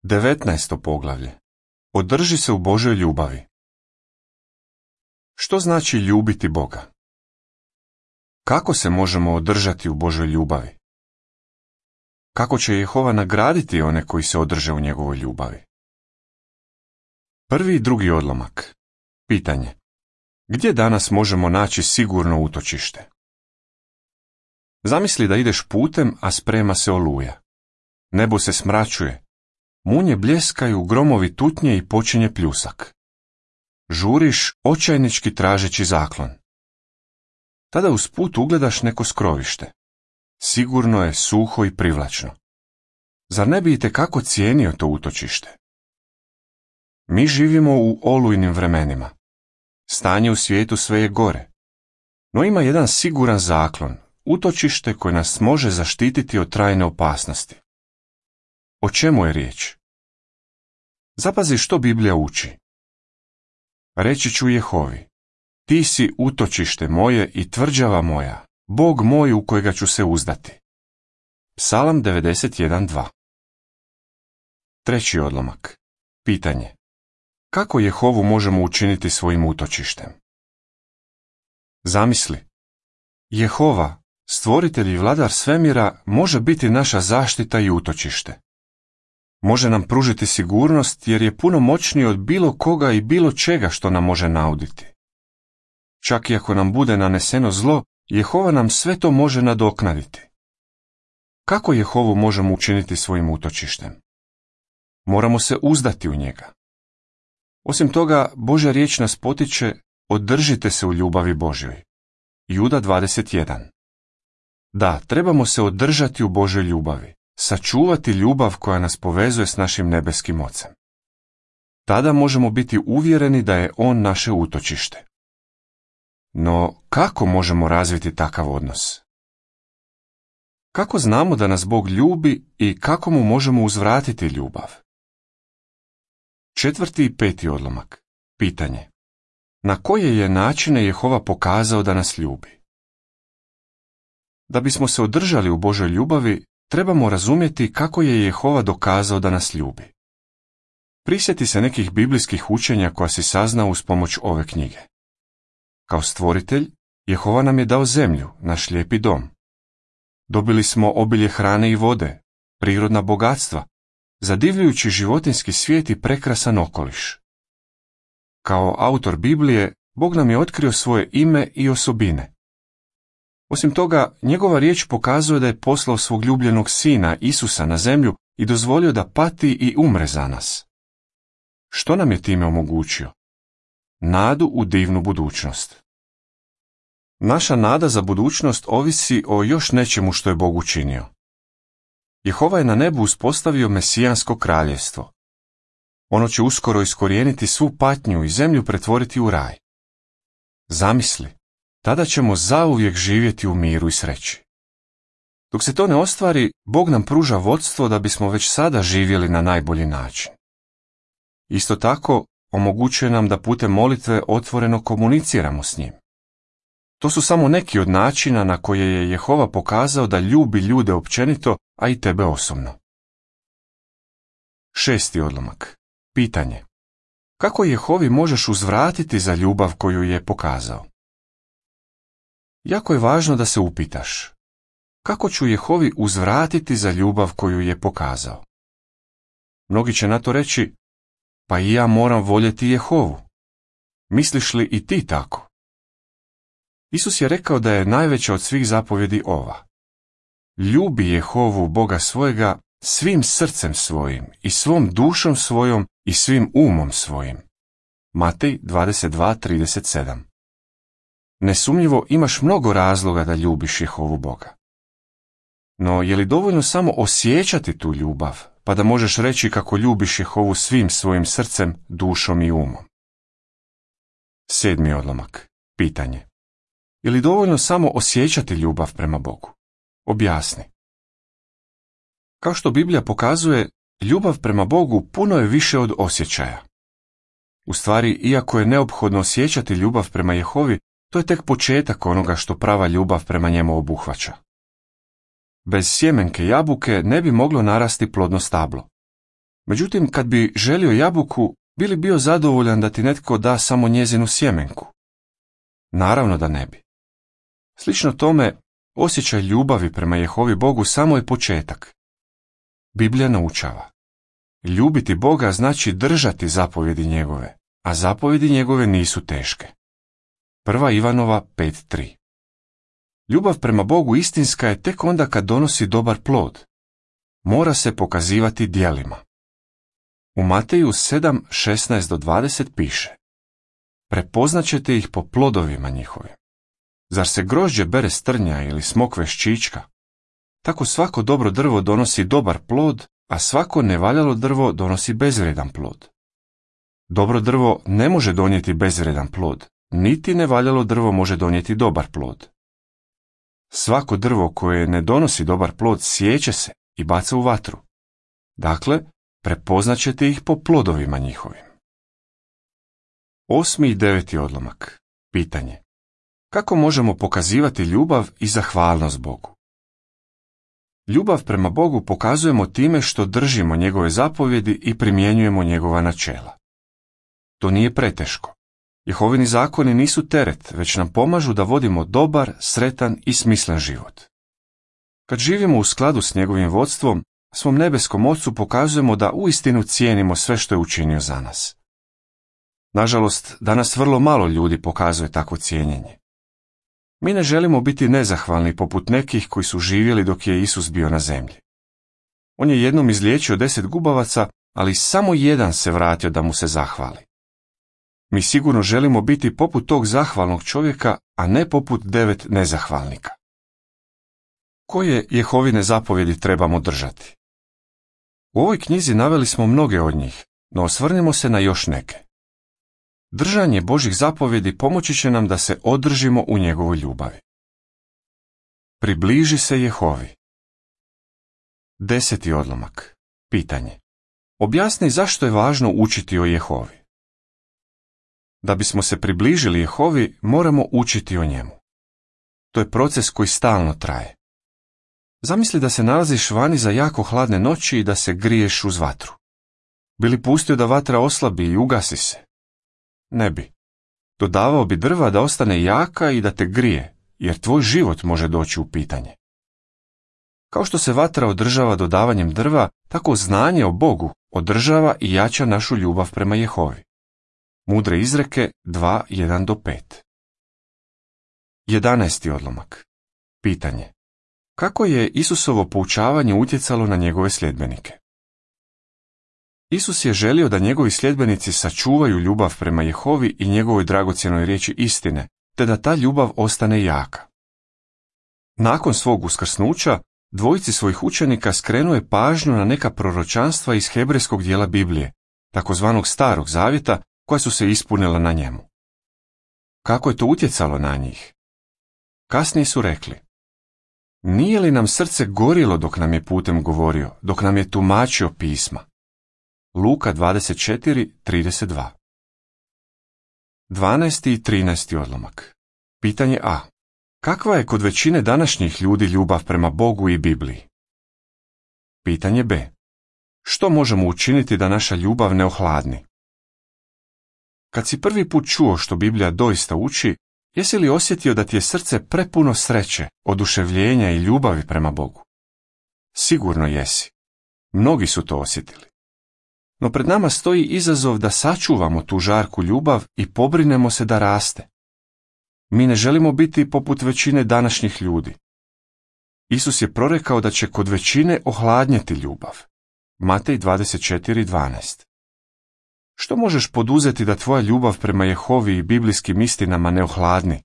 19. poglavlje. Održi se u Božoj ljubavi. Što znači ljubiti Boga? Kako se možemo održati u Božoj ljubavi? Kako će Jehova nagraditi one koji se održe u njegovoj ljubavi? Prvi i drugi odlomak. Pitanje. Gdje danas možemo naći sigurno utočište? Zamisli da ideš putem, a sprema se oluja. Nebo se smračuje. Munje bljeskaju, gromovi tutnje i počinje pljusak. Žuriš očajnički tražeći zaklon. Tada uz put ugledaš neko skrovište. Sigurno je, suho i privlačno. Zar ne bi itekako cijenio to utočište? Mi živimo u olujnim vremenima. Stanje u svijetu sve je gore. No ima jedan siguran zaklon, utočište koje nas može zaštititi od trajne opasnosti. O čemu je riječ? Zapazi što Biblija uči. Reći ću Jehovi, ti si utočište moje i tvrđava moja, Bog moj u kojega ću se uzdati. Psalam 91.2. Treći odlomak. Pitanje. Kako Jehovu možemo učiniti svojim utočištem? Zamisli. Jehova, stvoritelj i vladar svemira, može biti naša zaštita i utočište. Može nam pružiti sigurnost jer je puno moćniji od bilo koga i bilo čega što nam može nauditi. Čak i ako nam bude naneseno zlo, Jehova nam sve to može nadoknaditi. Kako Jehovu možemo učiniti svojim utočištem? Moramo se uzdati u njega. Osim toga, Božja riječ nas potiče, održite se u ljubavi Božjoj. Juda 21. Da, trebamo se održati u Božjoj ljubavi, sačuvati ljubav koja nas povezuje s našim nebeskim Ocem. Tada možemo biti uvjereni da je On naše utočište. No, kako možemo razviti takav odnos? Kako znamo da nas Bog ljubi i kako mu možemo uzvratiti ljubav? Četvrti i peti odlomak. Pitanje. Na koje je načine Jehova pokazao da nas ljubi? Da bismo se održali u Božoj ljubavi, trebamo razumjeti kako je Jehova dokazao da nas ljubi. Prisjeti se nekih biblijskih učenja koja si saznao uz pomoć ove knjige. Kao stvoritelj, Jehova nam je dao zemlju, naš lijepi dom. Dobili smo obilje hrane i vode, prirodna bogatstva, zadivljujući životinjski svijet i prekrasan okoliš. Kao autor Biblije, Bog nam je otkrio svoje ime i osobine. Osim toga, njegova riječ pokazuje da je poslao svog ljubljenog sina Isusa na zemlju i dozvolio da pati i umre za nas. Što nam je time omogućio? Nadu u divnu budućnost. Naša nada za budućnost ovisi o još nečemu što je Bog učinio. Jehova je na nebu uspostavio mesijansko kraljevstvo. Ono će uskoro iskorijeniti svu patnju i zemlju pretvoriti u raj. Zamisli, tada ćemo zauvijek živjeti u miru i sreći. Dok se to ne ostvari, Bog nam pruža vodstvo da bismo već sada živjeli na najbolji način. Isto tako, omogućuje nam da putem molitve otvoreno komuniciramo s njim. To su samo neki od načina na koje je Jehova pokazao da ljubi ljude općenito, a i tebe osobno. Šesti odlomak. Pitanje. Kako Jehovi možeš uzvratiti za ljubav koju je pokazao? Jako je važno da se upitaš. Kako ću Jehovi uzvratiti za ljubav koju je pokazao? Mnogi će na to reći, pa i ja moram voljeti Jehovu. Misliš li i ti tako? Isus je rekao da je najveća od svih zapovjedi ova. Ljubi Jehovu Boga svojega svim srcem svojim i svom dušom svojom i svim umom svojim. Matej 22.37. Nesumnjivo imaš mnogo razloga da ljubiš Jehovu Boga. No, je li dovoljno samo osjećati tu ljubav, pa da možeš reći kako ljubiš Jehovu svim svojim srcem, dušom i umom? Sedmi odlomak. Pitanje. Je li dovoljno samo osjećati ljubav prema Bogu? Objasni. Kao što Biblija pokazuje, ljubav prema Bogu puno je više od osjećaja. U stvari, iako je neophodno osjećati ljubav prema Jehovi, to je tek početak onoga što prava ljubav prema njemu obuhvaća. Bez sjemenke jabuke ne bi moglo narasti plodno stablo. Međutim, kad bi želio jabuku, bi li bio zadovoljan da ti netko da samo njezinu sjemenku? Naravno da ne bi. Slično tome, osjećaj ljubavi prema Jehovi Bogu samo je početak. Biblija naučava: ljubiti Boga znači držati zapovjedi njegove, a zapovjedi njegove nisu teške. 1. Ivanova 5.3. Ljubav prema Bogu istinska je tek onda kad donosi dobar plod. Mora se pokazivati djelima. U Mateju 7:16-20 piše: prepoznaćete ih po plodovima njihovim. Zar se grožđe bere s trnja ili smokve s čička? Tako svako dobro drvo donosi dobar plod, a svako nevaljalo drvo donosi bezvrijedan plod. Dobro drvo ne može donijeti bezvrijedan plod, niti nevaljalo drvo može donijeti dobar plod. Svako drvo koje ne donosi dobar plod siječe se i baca u vatru. Dakle, prepoznaćete ih po plodovima njihovim. 8. i 9. odlomak. Pitanje: kako možemo pokazivati ljubav i zahvalnost Bogu? Ljubav prema Bogu pokazujemo time što držimo njegove zapovjedi i primjenjujemo njegova načela. To nije preteško. Jehovini zakoni nisu teret, već nam pomažu da vodimo dobar, sretan i smislen život. Kad živimo u skladu s njegovim vodstvom, svom nebeskom Ocu pokazujemo da uistinu cijenimo sve što je učinio za nas. Nažalost, danas vrlo malo ljudi pokazuje takvo cijenjenje. Mi ne želimo biti nezahvalni poput nekih koji su živjeli dok je Isus bio na zemlji. On je jednom izliječio 10 gubavaca, ali samo jedan se vratio da mu se zahvali. Mi sigurno želimo biti poput tog zahvalnog čovjeka, a ne poput 9 nezahvalnika. Koje Jehovine zapovjedi trebamo držati? U ovoj knjizi naveli smo mnoge od njih, no osvrnimo se na još neke. Držanje Božjih zapovjedi pomoći će nam da se održimo u njegovoj ljubavi. Približi se Jehovi. 10. odlomak. Pitanje: objasni zašto je važno učiti o Jehovi. Da bismo se približili Jehovi, moramo učiti o njemu. To je proces koji stalno traje. Zamisli da se nalaziš vani za jako hladne noći i da se griješ uz vatru. Bi li pustio da vatra oslabi i ugasi se? Ne bi. Dodavao bi drva da ostane jaka i da te grije, jer tvoj život može doći u pitanje. Kao što se vatra održava dodavanjem drva, tako znanje o Bogu održava i jača našu ljubav prema Jehovi. Mudre izreke 2:1-5. 11. odlomak. Pitanje: kako je Isusovo poučavanje utjecalo na njegove sljedbenike? Isus je želio da njegovi sljedbenici sačuvaju ljubav prema Jehovi i njegovoj dragocjenoj riječi istine, te da ta ljubav ostane jaka. Nakon svog uskrsnuća, dvojici svojih učenika skrenuo je pažnju na neka proročanstva iz hebrejskog dijela Biblije, takozvanog Starog zavjeta, koja su se ispunila na njemu. Kako je to utjecalo na njih? Kasnije su rekli: nije li nam srce gorilo dok nam je putem govorio, dok nam je tumačio pisma? Luka 24:32. 12. i 13. odlomak. Pitanje A. Kakva je kod većine današnjih ljudi ljubav prema Bogu i Bibliji? Pitanje B. Što možemo učiniti da naša ljubav ne ohladni? Kad si prvi put čuo što Biblija doista uči, jesi li osjetio da ti je srce prepuno sreće, oduševljenja i ljubavi prema Bogu? Sigurno jesi. Mnogi su to osjetili. No pred nama stoji izazov da sačuvamo tu žarku ljubav i pobrinemo se da raste. Mi ne želimo biti poput većine današnjih ljudi. Isus je prorekao da će kod većine ohladnjeti ljubav. Matej 24:12. Što možeš poduzeti da tvoja ljubav prema Jehovi i biblijskim istinama ne ohladni?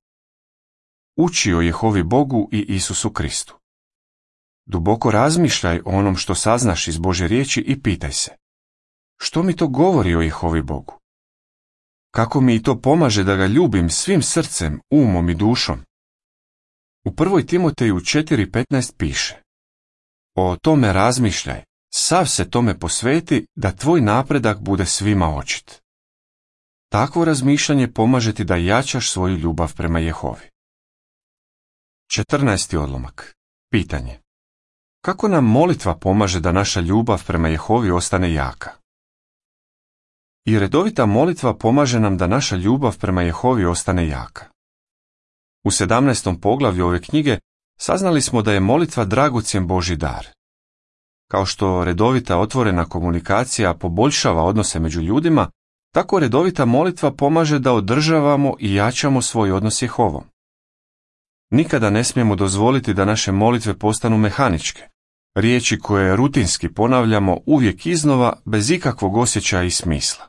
Uči o Jehovi Bogu i Isusu Kristu. Duboko razmišljaj o onom što saznaš iz Božje riječi i pitaj se: što mi to govori o Jehovi Bogu? Kako mi to pomaže da ga ljubim svim srcem, umom i dušom? U 1. Timoteju 4:15 piše: o tome razmišljaj, sav se tome posveti da tvoj napredak bude svima očit. Takvo razmišljanje pomaže ti da jačaš svoju ljubav prema Jehovi. 14. odlomak. Pitanje: Kako nam molitva pomaže da naša ljubav prema Jehovi ostane jaka? I redovita molitva pomaže nam da naša ljubav prema Jehovi ostane jaka. U 17. poglavlju ove knjige saznali smo da je molitva dragocjen Božji dar. Kao što redovita otvorena komunikacija poboljšava odnose među ljudima, tako redovita molitva pomaže da održavamo i jačamo svoj odnos s Jehovom. Nikada ne smijemo dozvoliti da naše molitve postanu mehaničke, riječi koje rutinski ponavljamo uvijek iznova bez ikakvog osjećaja i smisla.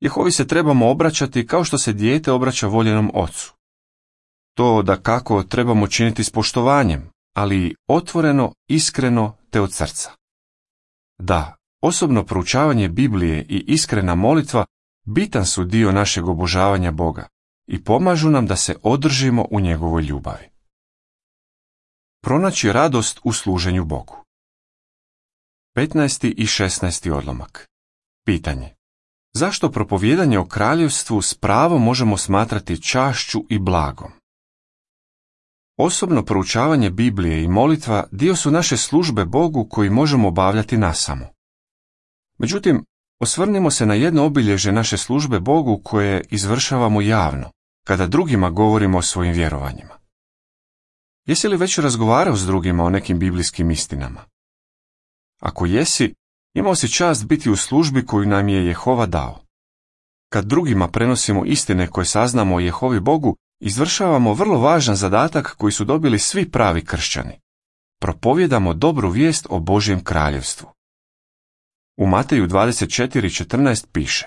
Jehovi se trebamo obraćati kao što se dijete obraća voljenom ocu. To dakako trebamo činiti s poštovanjem, ali otvoreno, iskreno te od srca. Da, osobno proučavanje Biblije i iskrena molitva bitan su dio našeg obožavanja Boga i pomažu nam da se održimo u njegovoj ljubavi. Pronaći radost u služenju Bogu. 15. i 16. odlomak. Pitanje. Zašto propovijedanje o kraljevstvu s pravom možemo smatrati čašću i blagom? Osobno proučavanje Biblije i molitva dio su naše službe Bogu koji možemo obavljati nasamo. Međutim, osvrnimo se na jedno obilježje naše službe Bogu koje izvršavamo javno, kada drugima govorimo o svojim vjerovanjima. Jesi li već razgovarao s drugima o nekim biblijskim istinama? Ako jesi, imao si čast biti u službi koju nam je Jehova dao. Kad drugima prenosimo istine koje saznamo o Jehovi Bogu, izvršavamo vrlo važan zadatak koji su dobili svi pravi kršćani. Propovjedamo dobru vijest o Božjem kraljevstvu. U Mateju 24:14 piše: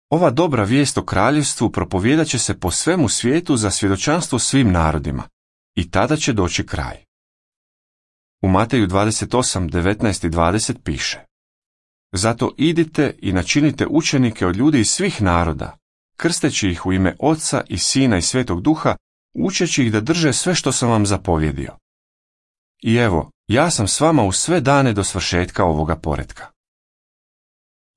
Ova dobra vijest o kraljevstvu propovjedat će se po svemu svijetu za svjedočanstvo svim narodima, i tada će doći kraj. U Mateju 28:19 i 20 piše: Zato idite i načinite učenike od ljudi iz svih naroda, krsteći ih u ime Oca i Sina i Svetog Duha, učeći ih da drže sve što sam vam zapovjedio. I evo, ja sam s vama u sve dane do svršetka ovoga poretka.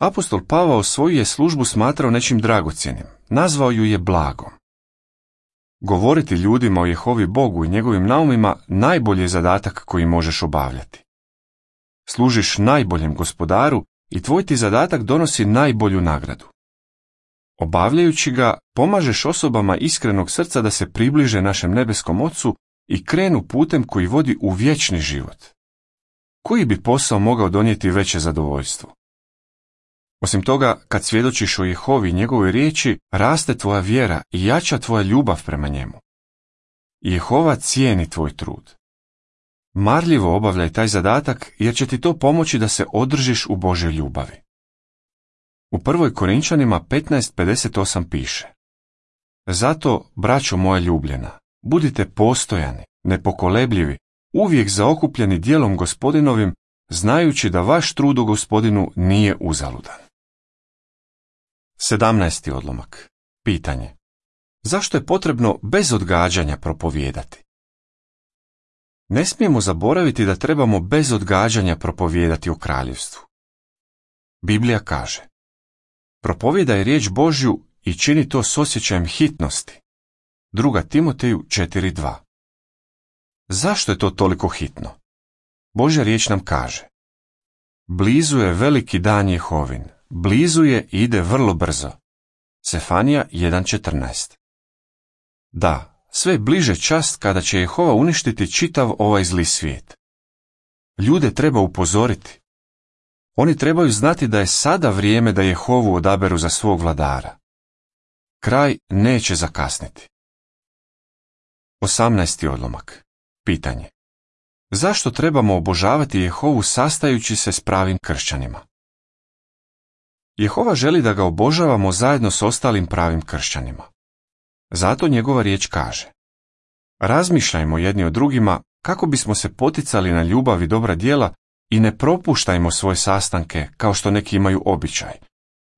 Apostol Pavao svoju je službu smatrao nečim dragocjenim, nazvao ju je blagom. Govoriti ljudima o Jehovi Bogu i njegovim naumima najbolji je zadatak koji možeš obavljati. Služiš najboljem Gospodaru i tvoj ti zadatak donosi najbolju nagradu. Obavljajući ga, pomažeš osobama iskrenog srca da se približe našem nebeskom Ocu i krenu putem koji vodi u vječni život. Koji bi posao mogao donijeti veće zadovoljstvo? Osim toga, kad svjedočiš o Jehovi i njegovoj riječi, raste tvoja vjera i jača tvoja ljubav prema njemu. Jehova cijeni tvoj trud. Marljivo obavljaj taj zadatak jer će ti to pomoći da se održiš u Božjoj ljubavi. U 1. Korinčanima 15:58 piše: Zato, braćo moja ljubljena, budite postojani, nepokolebljivi, uvijek zaokupljeni djelom Gospodinovim, znajući da vaš trud u Gospodinu nije uzaludan. 17. odlomak. Pitanje. Zašto je potrebno bez odgađanja propovijedati? Ne smijemo zaboraviti da trebamo bez odgađanja propovijedati o kraljevstvu. Biblija kaže: Propovijedaj riječ Božju i čini to s osjećajem hitnosti. 2. Timoteju 4:2. Zašto je to toliko hitno? Božja riječ nam kaže: Blizu je veliki dan Jehovin, blizu je i ide vrlo brzo. Sefanija 1:14. Da, sve je bliže čas kada će Jehova uništiti čitav ovaj zli svijet. Ljude treba upozoriti. Oni trebaju znati da je sada vrijeme da Jehovu odaberu za svog vladara. Kraj neće zakasniti. 18. odlomak. Pitanje. Zašto trebamo obožavati Jehovu sastajući se s pravim kršćanima? Jehova želi da ga obožavamo zajedno s ostalim pravim kršćanima. Zato njegova riječ kaže: Razmišljajmo jedni o drugima kako bismo se poticali na ljubav i dobra djela i ne propuštajmo svoje sastanke kao što neki imaju običaj,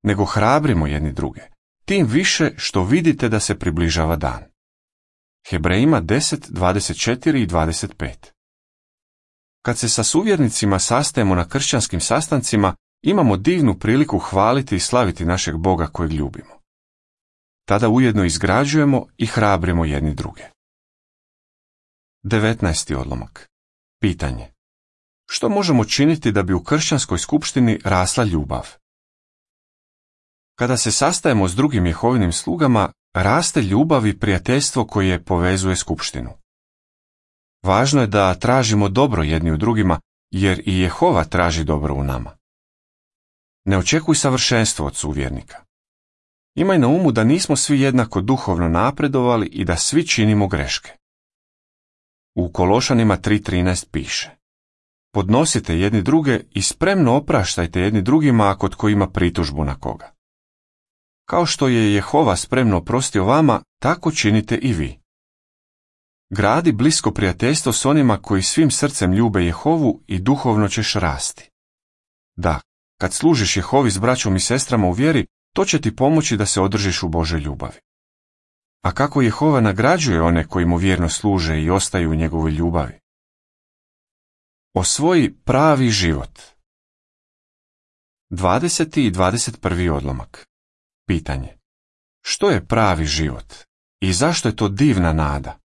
nego hrabrimo jedni druge, tim više što vidite da se približava dan. Hebrejima 10:24 i 25. Kad se sa suvjernicima sastajemo na kršćanskim sastancima, imamo divnu priliku hvaliti i slaviti našeg Boga kojeg ljubimo. Tada ujedno izgrađujemo i hrabrimo jedni druge. 19. odlomak. Pitanje. Što možemo činiti da bi u kršćanskoj skupštini rasla ljubav? Kada se sastajemo s drugim Jehovinim slugama, raste ljubav i prijateljstvo koje povezuje skupštinu. Važno je da tražimo dobro jedni u drugima, jer i Jehova traži dobro u nama. Ne očekuj savršenstvo od suvjernika. Imaj na umu da nismo svi jednako duhovno napredovali i da svi činimo greške. U Kološanima 3.13 piše: podnosite jedni druge i spremno opraštajte jedni drugima ako tko ima pritužbu na koga. Kao što je Jehova spremno oprostio vama, tako činite i vi. Gradi blisko prijateljstvo s onima koji svim srcem ljube Jehovu i duhovno ćeš rasti. Da, kad služiš Jehovi s braćom i sestrama u vjeri, to će ti pomoći da se održiš u Božoj ljubavi. A kako Jehova nagrađuje one koji mu vjerno služe i ostaju u njegovoj ljubavi? Osvoji pravi život. 20. i 21. odlomak. Pitanje: što je pravi život i zašto je to divna nada?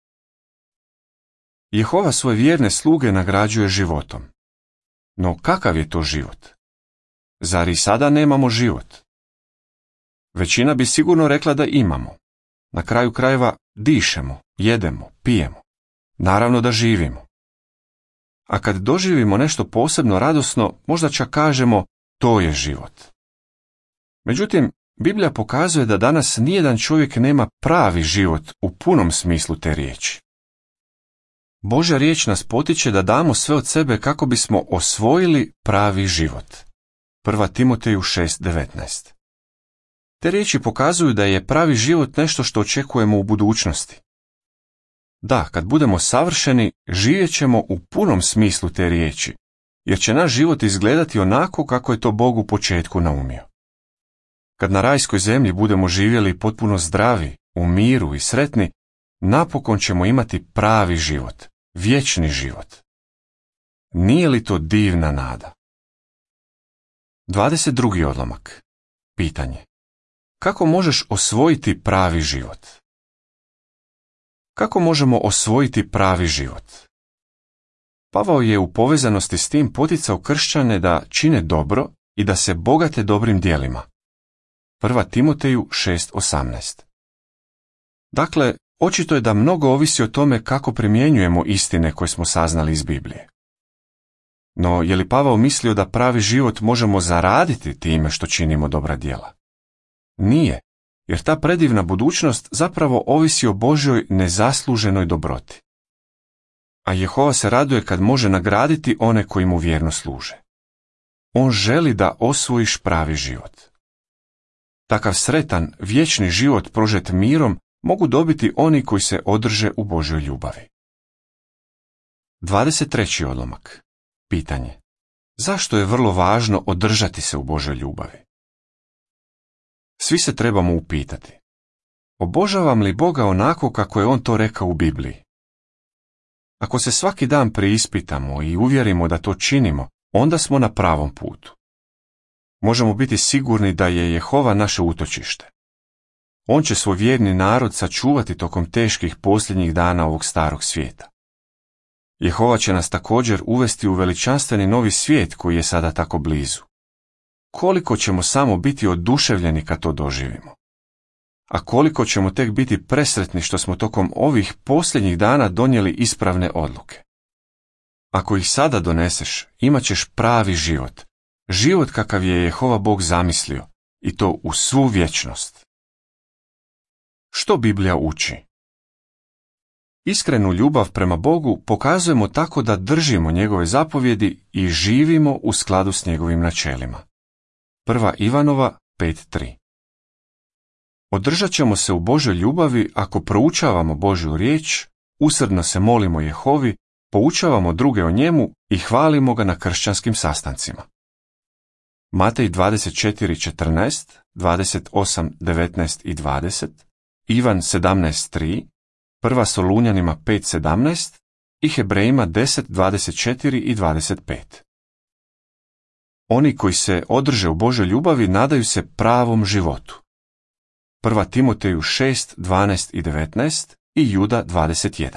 Jehova svoje vjerne sluge nagrađuje životom. No kakav je to život? Zar i sada nemamo život? Većina bi sigurno rekla da imamo. Na kraju krajeva dišemo, jedemo, pijemo. Naravno da živimo. A kad doživimo nešto posebno radosno, možda čak kažemo to je život. Međutim, Biblija pokazuje da danas nijedan čovjek nema pravi život u punom smislu te riječi. Božja riječ nas potiče da damo sve od sebe kako bismo osvojili pravi život. 1. Timoteju 6.19. Te riječi pokazuju da je pravi život nešto što očekujemo u budućnosti. Da, kad budemo savršeni, živjet ćemo u punom smislu te riječi, jer će naš život izgledati onako kako je to Bog u početku naumio. Kad na rajskoj zemlji budemo živjeli potpuno zdravi, u miru i sretni, napokon ćemo imati pravi život, vječni život. Nije li to divna nada? 22. odlomak. Pitanje: kako možeš osvojiti pravi život? Kako možemo osvojiti pravi život? Pavao je u povezanosti s tim poticao kršćane da čine dobro i da se bogate dobrim djelima. 1. Timoteju 6.18. Dakle, očito je da mnogo ovisi o tome kako primjenjujemo istine koje smo saznali iz Biblije. No, je li Pavao mislio da pravi život možemo zaraditi time što činimo dobra djela? Nije, jer ta predivna budućnost zapravo ovisi o Božjoj nezasluženoj dobroti. A Jehova se raduje kad može nagraditi one koji mu vjerno služe. On želi da osvojiš pravi život. Takav sretan, vječni život prožet mirom mogu dobiti oni koji se održe u Božjoj ljubavi. 23. odlomak. Pitanje: zašto je vrlo važno održati se u Božjoj ljubavi? Svi se trebamo upitati: obožavam li Boga onako kako je On to rekao u Bibliji? Ako se svaki dan preispitamo i uvjerimo da to činimo, onda smo na pravom putu. Možemo biti sigurni da je Jehova naše utočište. On će svoj vjerni narod sačuvati tokom teških posljednjih dana ovog starog svijeta. Jehova će nas također uvesti u veličanstveni novi svijet koji je sada tako blizu. Koliko ćemo samo biti oduševljeni kad to doživimo. A koliko ćemo tek biti presretni što smo tokom ovih posljednjih dana donijeli ispravne odluke. Ako ih sada doneseš, imat ćeš pravi život. Život kakav je Jehova Bog zamislio, i to u svu vječnost. Što Biblija uči? Iskrenu ljubav prema Bogu pokazujemo tako da držimo njegove zapovjedi i živimo u skladu s njegovim načelima. 1. Ivanova 5.3. Održat ćemo se u Božoj ljubavi ako proučavamo Božju riječ, usrdno se molimo Jehovi, poučavamo druge o njemu i hvalimo ga na kršćanskim sastancima. Matej 24.14, 28.19 i 20, Ivan 17.3, 1. Solunjanima 5.17 i Hebrejima 10.24 i 25. Oni koji se održe u Božoj ljubavi nadaju se pravom životu. 1. Timoteju 6.12 i 19 i Juda 21.